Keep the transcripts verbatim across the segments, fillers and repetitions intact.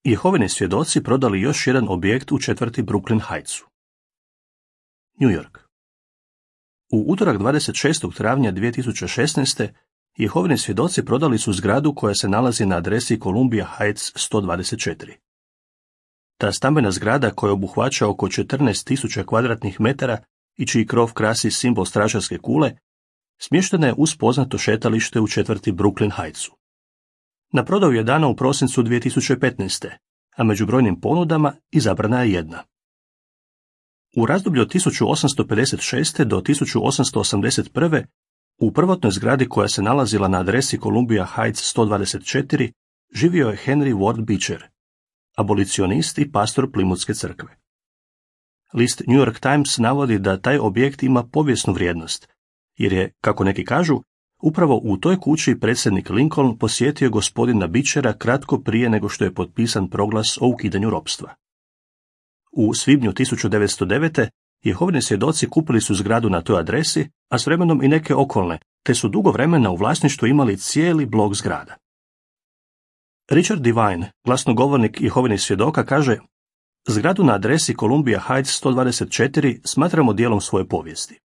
Jehovini svjedoci prodali još jedan objekt u četvrti Brooklyn Heightsu. New York. U utorak dvadeset šestog travnja dvije tisuće šesnaeste. Jehovini svjedoci prodali su zgradu koja se nalazi na adresi Columbia Heights sto dvadeset četiri. Ta stambena zgrada, koja obuhvaća oko četrnaest tisuća kvadratnih metara i čiji krov krasi simbol stražarske kule, smještena je uz poznato šetalište u četvrti Brooklyn Heightsu. Na prodaju je dana u prosincu dvije tisuće petnaeste. a među brojnim ponudama izabrana je jedna. U razdoblju od tisuću osamsto pedeset šeste. do tisuću osamsto osamdeset prve. u prvotnoj zgradi koja se nalazila na adresi Columbia Heights sto dvadeset četiri živio je Henry Ward Beecher, abolicionist i pastor Plymouthske crkve. List New York Times navodi da taj objekt ima povijesnu vrijednost, jer je, kako neki kažu, upravo u toj kući predsjednik Lincoln posjetio gospodina Beechera kratko prije nego što je potpisan proglas o ukidanju ropstva. U svibnju tisuću devetsto devete. Jehovini svjedoci kupili su zgradu na toj adresi, a s vremenom i neke okolne, te su dugo vremena u vlasništvu imali cijeli blok zgrada. Richard Devine, glasnogovornik Jehovinih svjedoka, kaže: zgradu na adresi Columbia Heights sto dvadeset četiri smatramo dijelom svoje povijesti.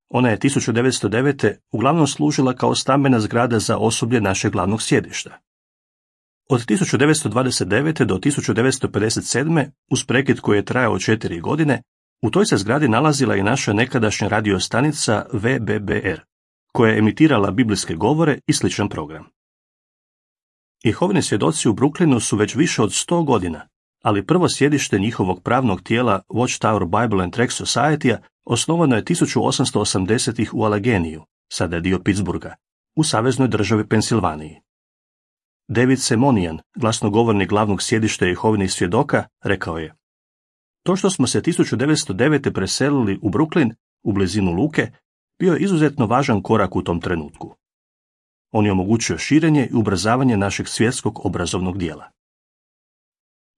Ona je tisuću devetsto devete. uglavnom služila kao stambena zgrada za osoblje našeg glavnog sjedišta. Od tisuću devetsto dvadeset devete. do tisuću devetsto pedeset sedme. uz prekid koji je trajao četiri godine, u toj se zgradi nalazila i naša nekadašnja radio stanica V B B R, koja je emitirala biblijske govore i sličan program. Jehovini svjedoci u Brooklynu su već više od sto godina, ali prvo sjedište njihovog pravnog tijela Watchtower Bible and Tract Society-a osnovano je tisuću osamsto osamdesetih. u Allegeniju, sada je dio Pittsburgha, u saveznoj državi Pensilvaniji. David Semonian, glasnogovornik glavnog sjedišta Jehovinih svjedoka, rekao je: to što smo se tisuću devetsto devete. preselili u Brooklyn, u blizinu luke, bio je izuzetno važan korak u tom trenutku. On je omogućio širenje i ubrzavanje našeg svjetskog obrazovnog dijela.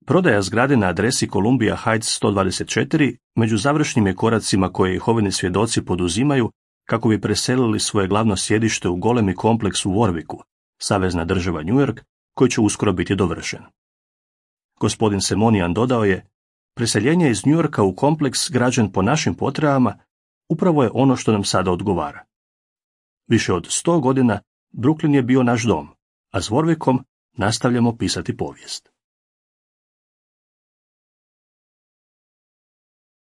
Prodaja zgrade na adresi Columbia Heights sto dvadeset četiri među završnim je koracima koje Jehovini svjedoci poduzimaju kako bi preselili svoje glavno sjedište u golemi kompleks u Warwicku, savezna država New York, koji će uskoro biti dovršen. Gospodin Semonian dodao je: preseljenje iz New Yorka u kompleks građen po našim potrebama upravo je ono što nam sada odgovara. Više od sto godina Brooklyn je bio naš dom, a s Warwickom nastavljamo pisati povijest.